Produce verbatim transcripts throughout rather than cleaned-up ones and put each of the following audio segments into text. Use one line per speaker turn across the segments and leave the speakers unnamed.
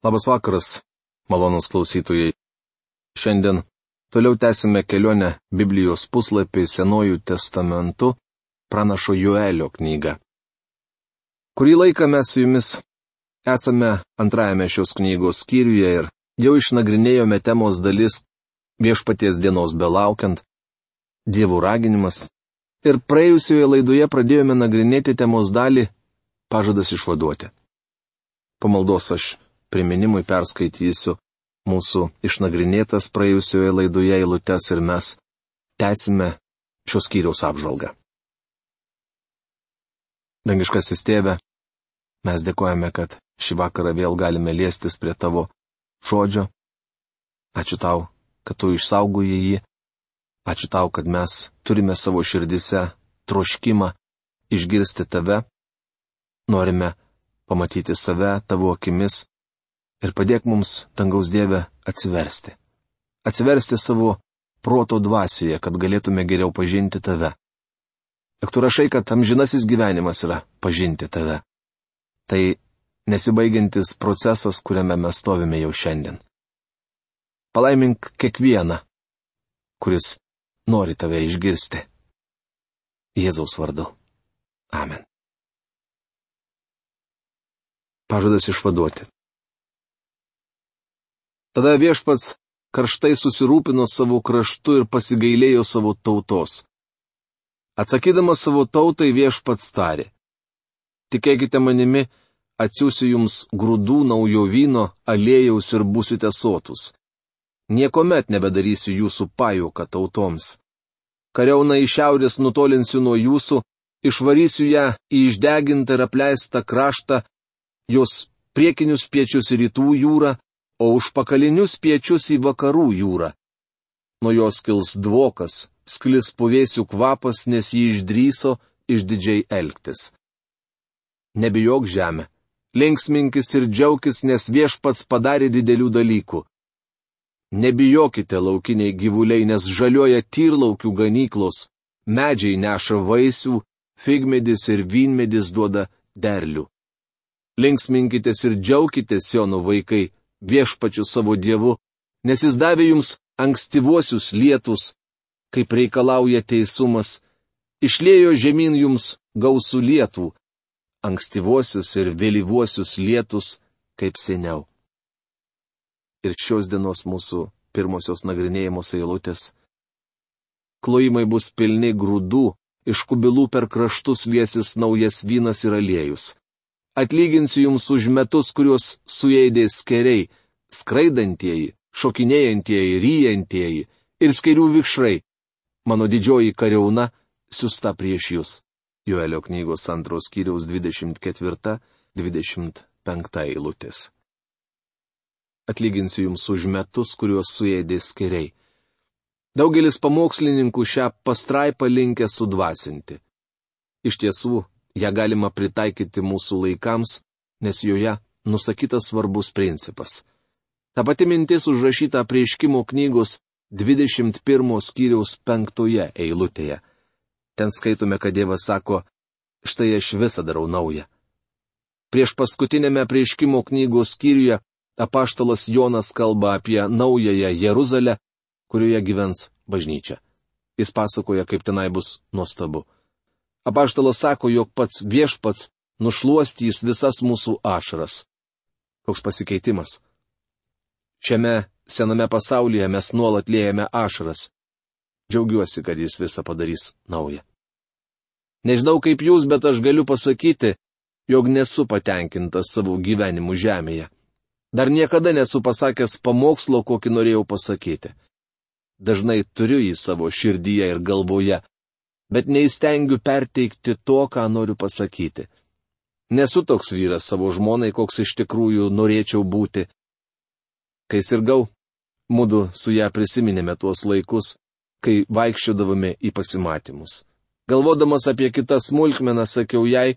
Labas vakaras, malonus klausytojai. Šiandien toliau tęsime kelionę Biblijos puslapį Senojų testamentu, pranašo Joelio knygą. Kurį laiką mes su jumis esame antrajame šios knygos skyriuje ir jau išnagrinėjome temos dalis Viešpaties dienos belaukiant, Dievų raginimas, ir praėjusioje laidoje pradėjome nagrinėti temos dalį pažadas išvaduoti. Pamaldos aš priminimui perskaitysiu mūsų išnagrinėtas praėjusioje laidoje eilutes ir mes tęsime šios skyriaus apžvalgą. Dangiškasis Tėve, mes dėkojame, kad šį vakarą vėl galime liestis prie Tavo žodžio. Ačiū Tau, kad Tu išsaugojai jį. Ačiū Tau, kad mes turime savo širdise troškimą išgirsti Tave. Norime pamatyti save Tavo akimis. Ir padėk mums, dangaus Dieve, atsiversti. Atsiversti savo proto dvasioje, kad galėtume geriau pažinti Tave. Juk Tu rašai, kad amžinasis gyvenimas yra pažinti Tave. Tai nesibaigiantis procesas, kuriame mes stovime jau šiandien. Palaimink kiekvieną, kuris nori Tave išgirsti. Jėzaus vardu. Amen. Pažadas išvaduoti. Tada Viešpats karštai susirūpino savo kraštu ir pasigailėjo savo tautos. Atsakydamas savo tautai Viešpats tarė: Tikėkite manimi, atsiųsiu jums grūdų, naujo vyno, aliejaus ir būsite sotus. Niekomet nebedarysiu jūsų pajuoką tautoms. Kariauną iš šiaurės nutolinsiu nuo jūsų, išvarysiu ją į išdegintą ir apleistą kraštą, jos priekinius piečius į rytų jūrą, o užpakalinius piečius į vakarų jūrą. Nuo jos kils dvokas, sklis puvėsių kvapas, nes jį išdryso išdidžiai elgtis. Nebijok žemė, linksminkis ir džiaukis, nes Viešpats padarė didelių dalykų. Nebijokite laukiniai gyvuliai, nes žaliuoja tyrlaukių ganyklos, medžiai neša vaisių, figmedis ir vynmedis duoda derlių. Linksminkitės ir džiaukitės, Siono vaikai, Viešpačiu savo Dievu, nes Jis davė jums ankstyvuosius lietus, kaip reikalauja teisumas, išliejo žemyn jums gausų lietų, ankstyvuosius ir vėlyvuosius lietus, kaip seniau. Ir šios dienos mūsų pirmosios nagrinėjimos eilutės. Klojimai bus pilni grūdų, iš kubilų per kraštus liesis naujas vynas ir aliejus. Atlyginsiu jums už metus, kuriuos suėdė skeriai, skraidantieji, šokinėjantieji, ryjantieji ir skerių vikšrai. Mano didžioji kariauna siusta prieš jūs. Joelio knygos antros skyriaus dvidešimt ketvirta dvidešimt penkta eilutės. Atlyginsiu jums už metus, kuriuos suėdė skeriai. Daugelis pamokslininkų šią pastraipą linkę sudvasinti. Iš tiesų, ją galima pritaikyti mūsų laikams, nes joje nusakytas svarbus principas. Ta pati mintis užrašyta Apreiškimo knygos dvidešimt pirmo skyriaus penktoje eilutėje. Ten skaitome, kad Dievas sako: štai aš visą darau naują. Prieš paskutinėme Apreiškimo knygos skyriuje apaštalas Jonas kalba apie naująją Jeruzalę, kurioje gyvens bažnyčia. Jis pasakoja, kaip tenai bus nuostabu. Apaštalas sako, jog pats Viešpats nušluostys visas mūsų ašaras. Koks pasikeitimas? Šiame sename pasaulyje mes nuolat liejame ašaras. Džiaugiuosi, kad Jis visą padarys naują. Nežinau kaip jūs, bet aš galiu pasakyti, jog nesu patenkintas savo gyvenimu žemėje. Dar niekada nesu pasakęs pamokslo, kokį norėjau pasakyti. Dažnai turiu jį savo širdyje ir galvoje, bet neįstengiu perteikti to, ką noriu pasakyti. Nesu toks vyras savo žmonai, koks iš tikrųjų norėčiau būti. Kai sirgau, mudu su ją prisiminėme tuos laikus, kai vaikščiodavome į pasimatymus. Galvodamas apie kitas smulkmenas, sakiau jai,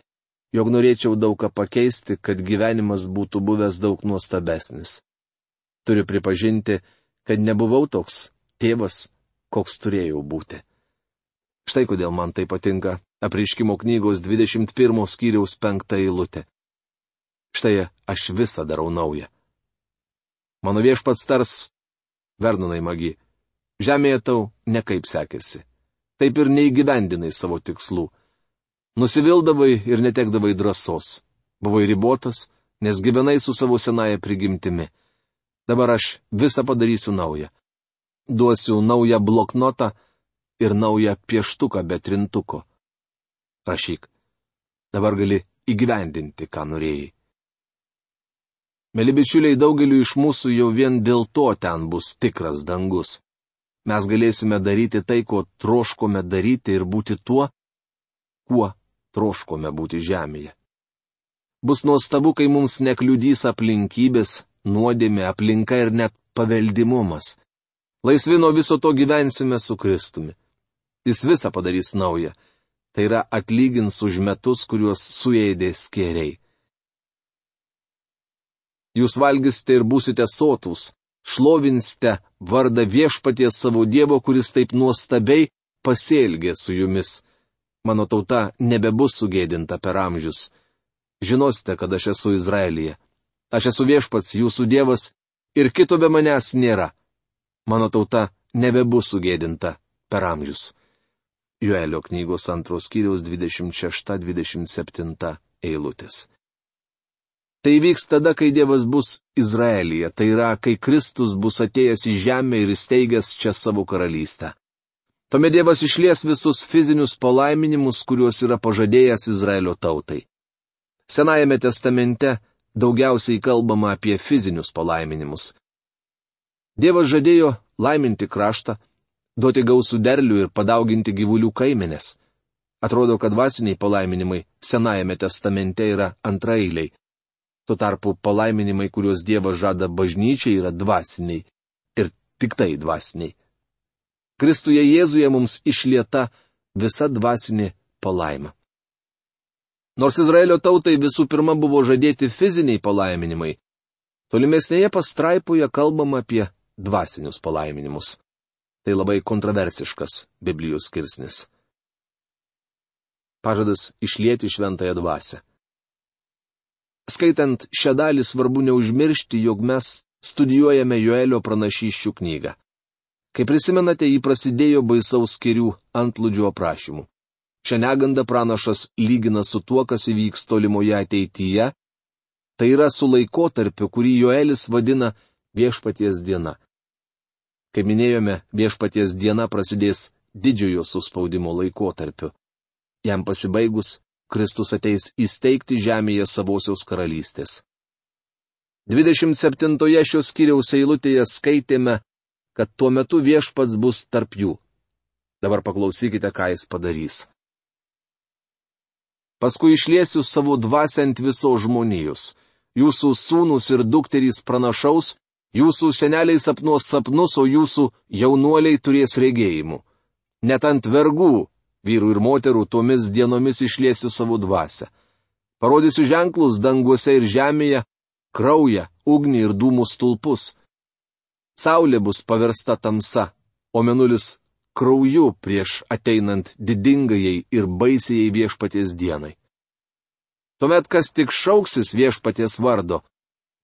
jog norėčiau daug ką pakeisti, kad gyvenimas būtų buvęs daug nuostabesnis. Turiu pripažinti, kad nebuvau toks tėvas, koks turėjau būti. Štai kodėl man tai patinka Apreiškimo knygos dvidešimt pirmo skyriaus penkta eilutė. Štai aš visą darau naują. Mano viešpats tars, Vernonai magi, žemėje tau nekaip sekėsi. Taip ir neįgyvendinai savo tikslų. Nusivildavai ir netekdavai drąsos. Buvai ribotas, nes gyvenai su savo senaja prigimtimi. Dabar aš visą padarysiu naują. Duosiu naują bloknotą ir naują pieštuką be trintuko. Rašyk. Dabar gali įgyvendinti, ką norėjai. Mėly bičiuliai, daugeliu iš mūsų jau vien dėl to ten bus tikras dangus. Mes galėsime daryti tai, ko troškome daryti ir būti tuo, kuo troškome būti žemėje. Bus nuostabu, kai mums nekliudys aplinkybės, nuodėmė, aplinka ir net paveldimumas. Laisvi nuo viso to gyvensime su Kristumi. Jis visą padarys naują. Tai yra atlygins už metus, kuriuos suėdė skėriai. Jūs valgysite ir būsite sotūs, šlovinsite vardą viešpaties savo Dievo, kuris taip nuostabiai pasielgė su jumis. Mano tauta nebebus sugėdinta per amžius. Žinosite, kad aš esu Izraelyje. Aš esu viešpats, jūsų Dievas, ir kito be manęs nėra. Mano tauta nebebus sugėdinta per amžius. Joelio knygos antros skyriaus dvidešimt šešta dvidešimt septinta eilutės. Tai vyks tada, kai Dievas bus Izraelyje, tai yra, kai Kristus bus atėjęs į žemę ir įsteigęs čia savo karalystę. Tuomet Dievas išlies visus fizinius palaiminimus, kuriuos yra pažadėjęs Izraelio tautai. Senajame testamente daugiausiai kalbama apie fizinius palaiminimus. Dievas žadėjo laiminti kraštą, duoti gausų derlių ir padauginti gyvulių kaimenės. Atrodo, kad dvasiniai palaiminimai Senajame testamente yra antraeiliai. Tuo tarpu palaiminimai, kuriuos Dievas žada bažnyčiai, yra dvasiniai. Ir tik tai dvasiniai. Kristuje Jėzuje mums išlieta visa dvasinė palaima. Nors Izraelio tautai visų pirma buvo žadėti fiziniai palaiminimai, tolimesnėje pastraipoje kalbama apie dvasinius palaiminimus. Tai labai kontroversiškas Biblijos skirsnis. Pažadas išlieti šventąją dvasią. Skaitant šią dalį svarbu neužmiršti, jog mes studijuojame Joelio pranašysčių knygą. Kai prisimenate, jį prasidėjo baisaus skėrių antplūdžio aprašymų. Šią negandą pranašas lygina su tuo, kas įvyks tolimoje ateityje, tai yra su laikotarpiu, kurį Joelis vadina viešpaties diena. Kaip minėjome, viešpaties diena prasidės didžiojo suspaudimo laikotarpiu. Jam pasibaigus, Kristus ateis įsteigti žemėje savosios karalystės. dvidešimt septintoje šios skyriaus eilutėje skaitėme, kad tuo metu viešpats bus tarp jų. Dabar paklausykite, ką jis padarys. Paskui išliesiu savo dvasią ant visos žmonijos. Jūsų sūnus ir dukterys pranašaus, jūsų seneliai sapnuos sapnus, o jūsų jaunuoliai turės regėjimų. Net ant vergų, vyrų ir moterų, tomis dienomis išliesiu savo dvasią. Parodysiu ženklus danguose ir žemėje, kraują, ugnį ir dūmų stulpus. Saulė bus paversta tamsa, o mėnulis krauju prieš ateinant didingajai ir baisiai viešpaties dienai. Tuomet, kas tik šauksis viešpaties vardo,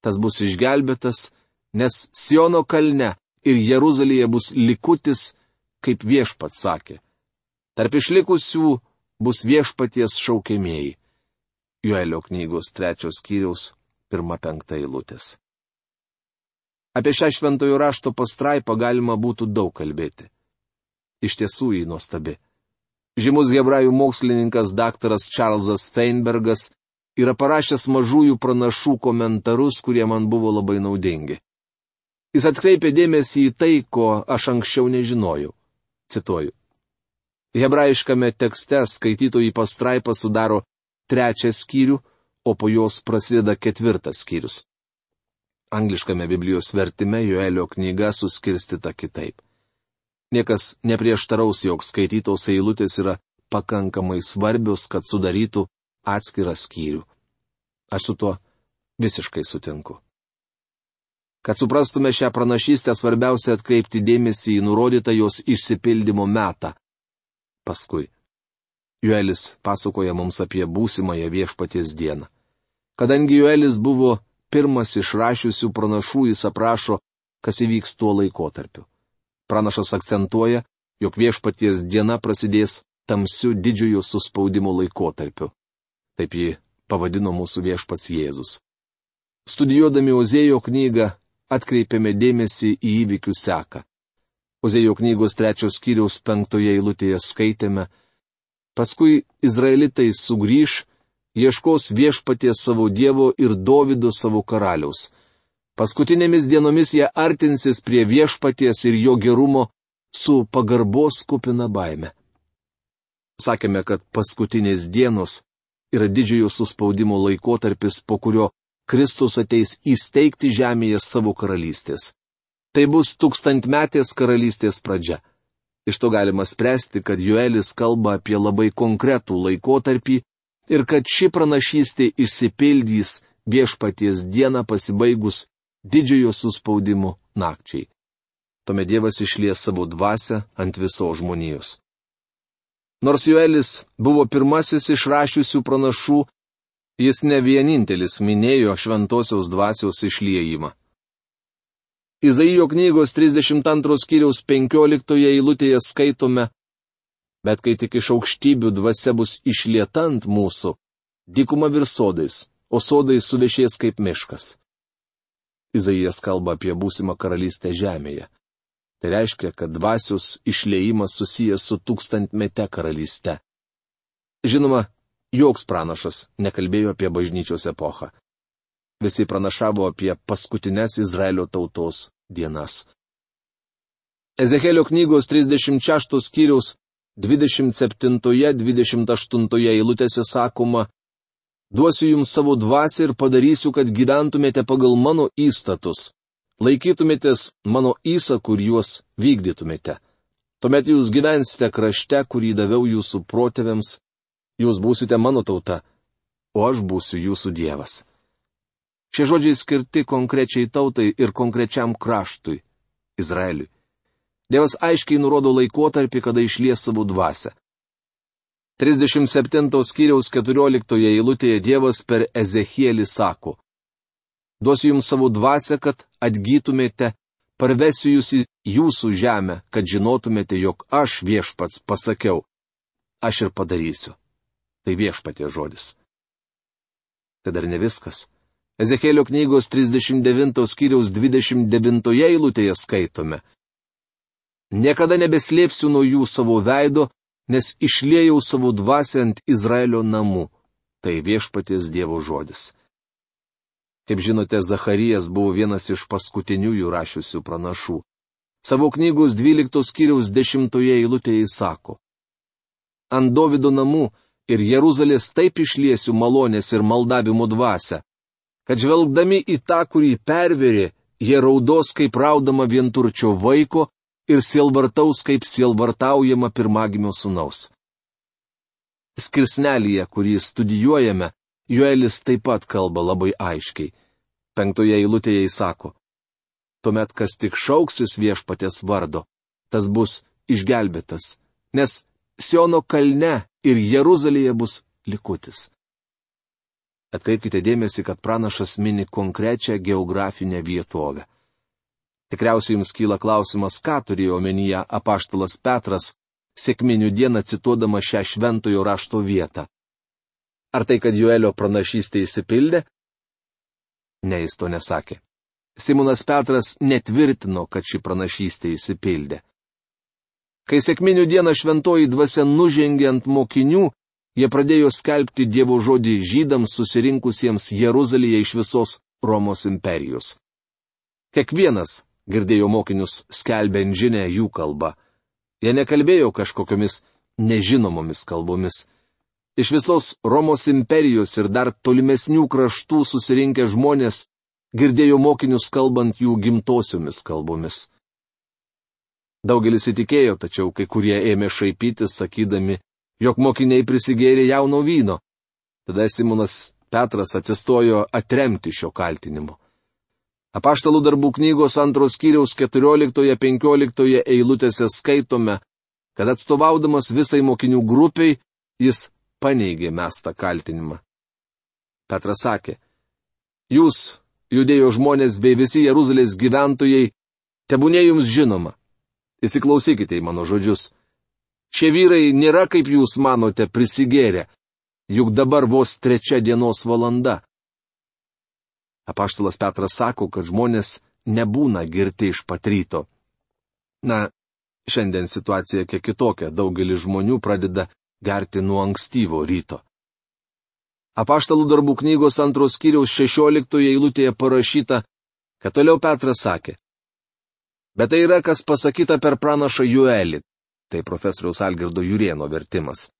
tas bus išgelbėtas, nes Siono kalne ir Jeruzalėje bus likutis, kaip viešpats sakė. Tarp išlikusių bus viešpaties šaukiamieji. Joelio knygos trečios skyriaus pirma penkta eilutės. Apie šią šventojo rašto pastraipą galima būtų daug kalbėti. Iš tiesų jį nuostabi. Žymus hebrajų mokslininkas daktaras Čarlzas Feinbergas yra parašęs mažųjų pranašų komentarus, kurie man buvo labai naudingi. Jis atkreipė dėmesį į tai, ko aš anksčiau nežinojau. Cituoju. Hebrajiškame tekste skaitytojų pastraipa sudaro trečią skyrių, o po jos prasideda ketvirtas skyrius. Angliškame Biblijos vertime Joelio knyga suskirstyta kitaip. Niekas neprieštaraus, jog skaitytos eilutės yra pakankamai svarbios, kad sudarytų atskirą skyrių. Aš su tuo visiškai sutinku. Kad suprastume šią pranašystę, svarbiausia atkreipti dėmesį į nurodytą jos išsipildymo metą. Paskui. Joelis pasakoja mums apie būsimąją viešpaties dieną. Kadangi Joelis buvo pirmas išrašiusių pranašų, jis aprašo, kas įvyks tuo laikotarpiu. Pranašas akcentuoja, jog viešpaties diena prasidės tamsiu didžiojo suspaudimo laikotarpiu. Taip jį pavadino mūsų viešpats Jėzus. Studijuodami Ozėjo knygą atkreipėme dėmesį į įvykių seką. Ozėjo knygos trečios skyriaus penktoje eilutėje skaitėme: paskui izraelitai sugrįž, ieškos viešpaties savo Dievo ir Dovydo savo karaliaus. Paskutinėmis dienomis jie artinsis prie viešpaties ir jo gerumo su pagarbos kupina baime. Sakėme, kad paskutinės dienos yra didžiojo suspaudimo laikotarpis, po kurio Kristus ateis įsteigti žemėje savo karalystės. Tai bus tūkstantmetės karalystės pradžia. Iš to galima spręsti, kad Joelis kalba apie labai konkretų laikotarpį ir kad ši pranašystė išsipildys viešpaties dieną pasibaigus didžiojo suspaudimo nakčiai. Tuomet Dievas išlies savo dvasią ant visos žmonijos. Nors Joelis buvo pirmasis išrašiusių pranašų, jis ne vienintelis minėjo šventosios dvasios išliejimą. Izaijo knygos trisdešimt antros skyriaus penkioliktoje eilutėje skaitome: bet kai tik iš aukštybių dvasia bus išlieta ant mūsų, dykuma virs sodais, o sodai suvešės kaip miškas. Izaijas kalba apie būsimą karalystę žemėje. Tai reiškia, kad dvasios išliejimas susijęs su tūkstantmete karalyste. Žinoma, joks pranašas nekalbėjo apie bažnyčios epochą. Visi pranašavo apie paskutines Izraelio tautos dienas. Ezekėlio knygos trisdešimt šeštos skyriaus dvidešimt septintoje dvidešimt aštuntoje eilutėse sakoma: duosiu jums savo dvasią ir padarysiu, kad gyventumėte pagal mano įstatus, laikytumėtės mano įsakų ir juos vykdytumėte. Tuomet jūs gyvensite krašte, kurį daviau jūsų protėviams, jūs būsite mano tauta, o aš būsiu jūsų Dievas. Šie žodžiai skirti konkrečiai tautai ir konkrečiam kraštui - Izraeliui. Dievas aiškiai nurodo laikotarpį, kada išlies savo dvasią. trisdešimt septintos skyriaus keturioliktoje eilutėje Dievas per Ezechielį sako: duosiu jums savo dvasią, kad atgytumėte, parvesiu jūs į jūsų žemę, kad žinotumėte, jog aš viešpats pasakiau. Aš ir padarysiu. Tai viešpatie žodis. Tai dar ne viskas. Ezekėlio knygos trisdešimt devintos skyriaus dvidešimt devintoje eilutėje skaitome: niekada nebeslėpsiu nuo jų savo veido, nes išliejau savo dvasią ant Izraelio namų. Tai viešpaties Dievo žodis. Kaip žinote, Zacharijas buvo vienas iš paskutiniųjų rašiusių pranašų. Savo knygos dvyliktos skyriaus dešimtoje eilutėje jis sako: ant Dovydo namų ir Jeruzalės taip išliesiu malonės ir maldavimo dvasią, kad žvelgdami į tą, kurį perverė, jie raudos kaip raudama vienturčio vaiko ir sielvartaus kaip sielvartaujama pirmagimio sūnaus. Skirsnelyje, kurį studijuojame, Joelis taip pat kalba labai aiškiai. Penktoje eilutėje jis sako: tuomet kas tik šauksis viešpaties vardo, tas bus išgelbėtas, nes Siono kalne ir Jeruzalėje bus likutis. Atkreipkite dėmesį, kad pranašas mini konkrečią geografinę vietovę. Tikriausiai jums kyla klausimas, ką turėjo omenyje apaštalas Petras, sekminių dieną cituodama šią šventojo rašto vietą. Ar tai, kad Joelio pranašystė įsipildė? Ne, jis to nesakė. Simonas Petras netvirtino, kad ši pranašystė įsipildė. Kai sekminių dieną šventoji dvasia nužengė ant mokinių, jie pradėjo skelbti Dievo žodį žydams susirinkusiems Jeruzalėje iš visos Romos imperijos. Kiekvienas girdėjo mokinius skelbiant žinę jų kalbą. Jie nekalbėjo kažkokiomis nežinomomis kalbomis. Iš visos Romos imperijos ir dar tolimesnių kraštų susirinkę žmonės girdėjo mokinius kalbant jų gimtosiomis kalbomis. Daugelis įtikėjo, tačiau kai kurie ėmė šaipytis, sakydami, jog mokiniai prisigėrė jauno vyno. Tada Simonas Petras atsistojo atremti šio kaltinimo. Apaštalų darbų knygos antros skyriaus keturioliktoje penkioliktoje eilutėse skaitome, kad atstovaudamas visai mokinių grupiai, jis paneigė mestą kaltinimą. Petras sakė: jūs, Judėjo žmonės bei visi Jeruzalės gyventojai, tebūnė jums žinoma. Įsiklausykite į mano žodžius. Šie vyrai nėra, kaip jūs manote, prisigėrę, juk dabar vos trečia dienos valanda. Apaštalas Petras sako, kad žmonės nebūna girti iš pat ryto. Na, šiandien situacija kiek kitokia, daugelis žmonių pradeda gerti nuo ankstyvo ryto. Apaštalų darbų knygos antros skyriaus šešioliktoje eilutėje parašyta, kad toliau Petras sakė. Bet tai yra, kas pasakyta per pranašą Joelį. Tai profesoriaus Algirdo Jurėno vertimas.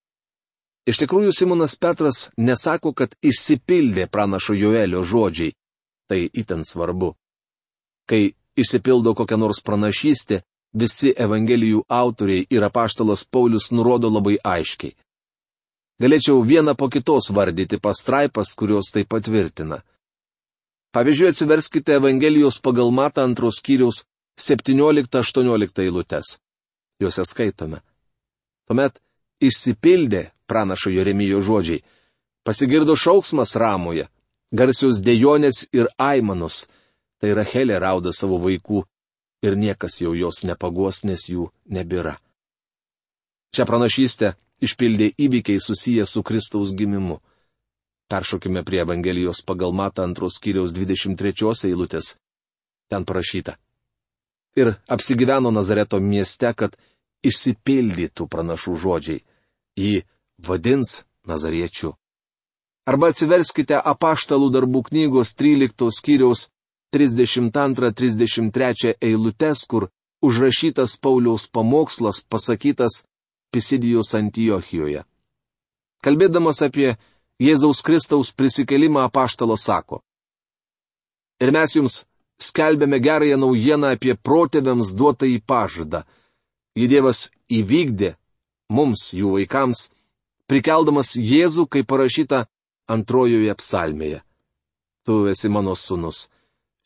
Iš tikrųjų, Simonas Petras nesako, kad išsipildė pranašo Joelio žodžiai. Tai itin svarbu. Kai išsipildo kokia nors pranašystė, visi evangelijų autoriai ir apaštalas Paulius nurodo labai aiškiai. Galėčiau vieną po kitos vardyti pastraipas, kurios tai patvirtina. Pavyzdžiui, atsiverskite Evangelijos pagal Matą antros skyriaus septynioliktą aštuonioliktą eilutes. Juose skaitome. Tuomet išsipildė pranašo Jeremijo žodžiai. Pasigirdo šauksmas Ramoje, garsios dejonės ir aimanos. Tai Rachelė rauda savo vaikų ir niekas jau jos nepaguos, nes jų nebėra. Šią pranašystę išpildė įvykiai susiję su Kristaus gimimu. Peršokime prie Evangelijos pagal Matą antros skyriaus dvidešimt trečios eilutės. Ten parašyta. Ir apsigyveno Nazareto mieste, kad išsipildytų pranašų žodžiai. Jį vadins Nazariečiu. Arba atsiverskite Apaštalų darbų knygos tryliktos skyriaus trisdešimt antrą trisdešimt trečią eilutes, kur užrašytas Pauliaus pamokslas pasakytas Pisidijos Antiochijoje. Kalbėdamas apie Jėzaus Kristaus prisikelimą, apaštalas sako. Ir mes jums skelbėme gerąją naujieną apie protėviams duotąjį pažadą. Jį Dievas įvykdė mums, jų vaikams, prikeldamas Jėzų, kaip parašyta antrojoje psalmėje. Tu esi mano sūnus,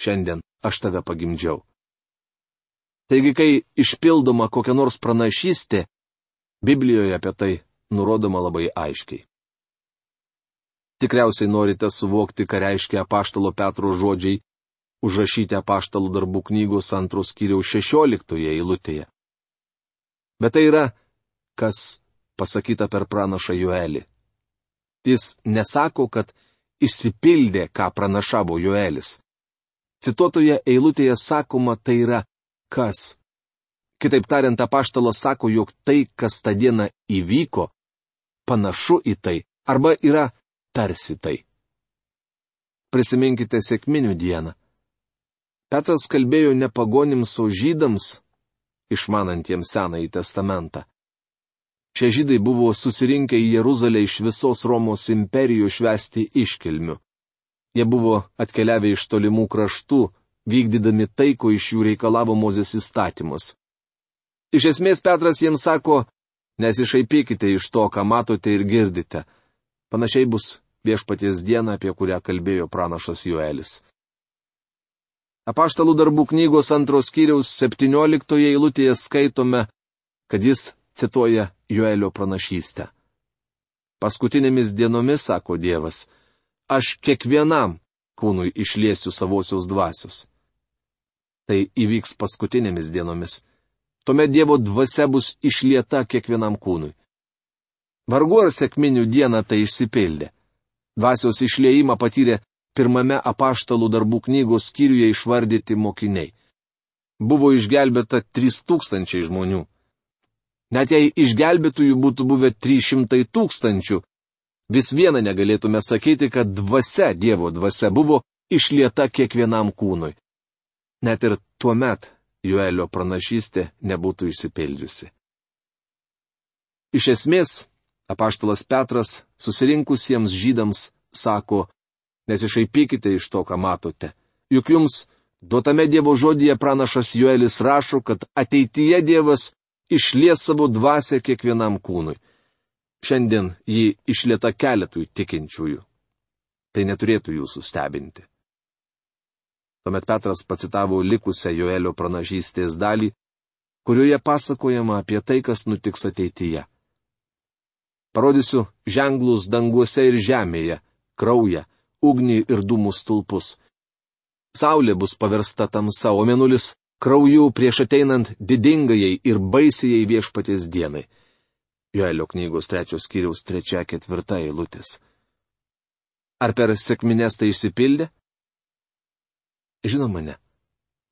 šiandien aš tave pagimdžiau. Taigi, kai išpildoma kokia nors pranašystė, Biblijoje apie tai nurodoma labai aiškiai. Tikriausiai norite suvokti, ką reiškia apaštalo Petro žodžiai, užrašyti apaštalų darbų knygos antros skyriaus šešioliktoje eilutėje. Bet tai yra, kas pasakyta per pranašą Joelį. Jis nesako, kad išsipildė, ką pranašavo Joelis. Cituotoje eilutėje sakoma, tai yra kas. Kitaip tariant, apaštalas sako, jog tai, kas tą dieną įvyko, panašu į tai, arba yra tarsi tai. Prisiminkite sekminių dieną. Petras kalbėjo ne pagonims, o žydams, išmanantiems Senąjį testamentą. Šie žydai buvo susirinkę į Jeruzalę iš visos Romos imperijos švęsti iškilmių. Jie buvo atkeliavę iš tolimų kraštų, vykdydami tai, ko iš jų reikalavo Mozės įstatymus. Iš esmės Petras jiems sako, nesišaipykite iš to, ką matote ir girdite. Panašiai bus viešpaties diena, apie kurią kalbėjo pranašas Joelis. Apaštalų darbų knygos antros skyriaus septynioliktoje eilutėje skaitome, kad jis cituoja Joelio pranašystę. Paskutinėmis dienomis, sako Dievas, aš kiekvienam kūnui išliesiu savosios dvasios. Tai įvyks paskutinėmis dienomis. Tuomet Dievo dvasia bus išlieta kiekvienam kūnui. Vargu ar sekminių dieną tai išsipildė. Dvasios išliejimą patyrė pirmame apaštalų darbų knygos skyriuje išvardyti mokiniai. Buvo išgelbėta trys tūkstančiai žmonių. Net jei išgelbėtųjų būtų buvę trys šimtai tūkstančių, vis viena negalėtume sakyti, kad dvasia, Dievo dvasia, buvo išlieta kiekvienam kūnui. Net ir tuomet Joelio pranašystė nebūtų išsipildžiusi. Iš esmės, apaštalas Petras susirinkusiems žydams sako, nesišaipykite iš to, ką matote. Juk jums duotame Dievo žodyje pranašas Joelis rašo, kad ateityje Dievas išlies savo dvasią kiekvienam kūnui. Šiandien jį išlieta keletui tikinčiųjų. Tai neturėtų jūsų stebinti. Tuomet Petras pacitavo likusią Joelio pranašystės dalį, kurioje pasakojama apie tai, kas nutiks ateityje. Parodysiu ženklus danguose ir žemėje, kraują, ugnį ir dūmų stulpus. Saulė bus paversta tamsa, o mėnulis krauju prieš ateinant didingajai ir baisijai viešpaties dienai. Joelio knygos trečios skyriaus trečia ketvirta eilutės. Ar per sekmines tai išsipildė? Žinoma, ne.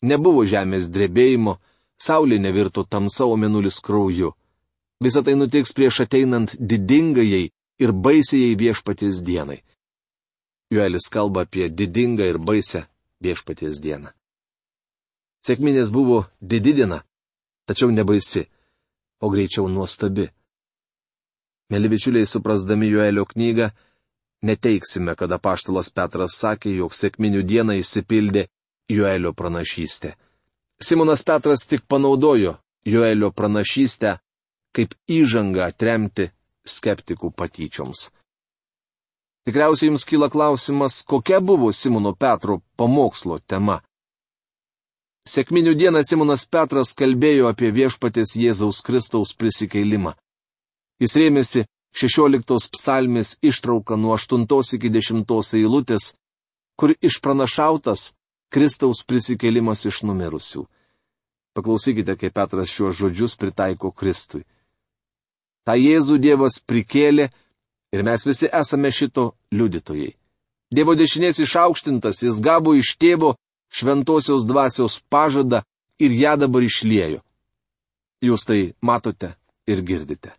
Nebuvo žemės drebėjimo, saulė nevirto tamsa, o mėnulis krauju. Visą tai nutiks prieš ateinant didingajai ir baisijai viešpaties dienai. Joelis kalba apie didingą ir baisę viešpaties dieną. Sekminės buvo didi diena, tačiau ne baisi, o greičiau nuostabi. Mėly bičiuliai, suprasdami Joelio knygą, neteiksime, kad apaštalas Petras sakė, jog sekminių dieną išsipildė Joelio pranašystė. Simonas Petras tik panaudojo Joelio pranašystę kaip įžangą atremti skeptikų patyčioms. Tikriausiai jums kyla klausimas, kokia buvo Simono Petro pamokslo tema. Sekminių dieną Simonas Petras kalbėjo apie viešpaties Jėzaus Kristaus prisikeilimą. Jis rėmėsi šešioliktos psalmės ištrauką nuo aštuntos iki dešimtos eilutės, kur išpranašautas Kristaus prisikeilimas iš numirusių. Paklausykite, kaip Petras šiuos žodžius pritaiko Kristui. Ta Jėzų Dievas prikėlė ir mes visi esame šito liudytojai. Dievo dešinės išaukštintas, jis gavo iš tėvo šventosios dvasios pažadą ir ją dabar išliejo. Jūs tai matote ir girdite.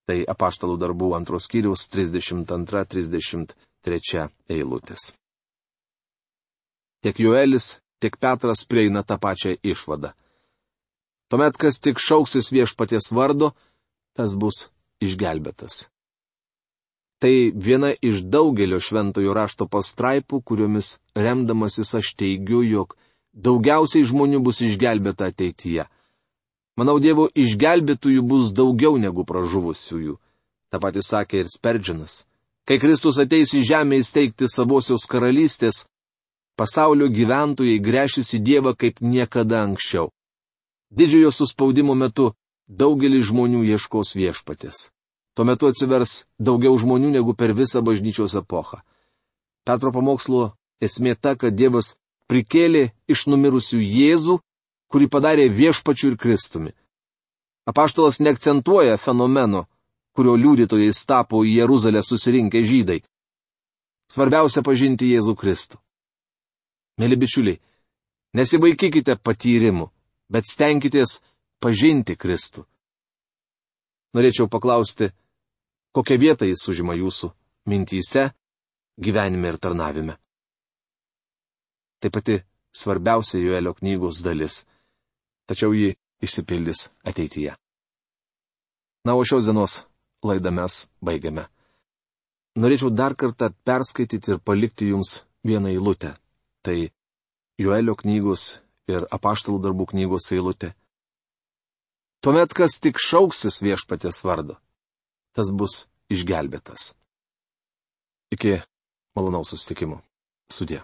Tai apaštalų darbų antros skyriaus trisdešimt antra trisdešimt trečia eilutės. Tiek Joelis, tiek Petras prieina tą pačią išvadą. Tuomet, kas tik šauksis viešpaties vardo, tas bus išgelbėtas. Tai viena iš daugelio šventojo rašto pastraipų, kuriomis remdamasis aš teigiu, jog daugiausiai žmonių bus išgelbėta ateityje. Manau, Dievo išgelbėtųjų bus daugiau negu pražuvusiųjų. Ta pati sakė ir Sperdžinas. Kai Kristus ateis į žemę įsteigti savosios karalystės, pasaulio gyventojai gręšis į Dievą kaip niekada anksčiau. Didžiojo suspaudimo metu daugelis žmonių ieškos viešpatės. Tuo metu atsivers daugiau žmonių negu per visą bažnyčios epochą. Petro pamokslo esmė ta, kad Dievas prikėlė iš numirusių Jėzų, kurį padarė viešpačiu ir Kristumi. Apaštalas neakcentuoja fenomeno, kurio liudytojais tapo į Jeruzalę susirinkę žydai. Svarbiausia pažinti Jėzų Kristų. Mėly bičiuliai, nesivaikykite patyrimų, bet stenkitės pažinti Kristų. Norėčiau paklausti, kokią vietą jis užima jūsų mintyse, gyvenime ir tarnavime. Tai pati svarbiausia Joelio knygos dalis, tačiau ji išsipildys ateityje. Na, o šios dienos laidą mes baigiame. Norėčiau dar kartą perskaityti ir palikti jums vieną eilutę. Tai Joelio knygos ir apaštalų darbų knygos eilutė. Tuomet, kas tik šauksis viešpaties vardo, tas bus išgelbėtas. Iki malonaus susitikimo. Sudie.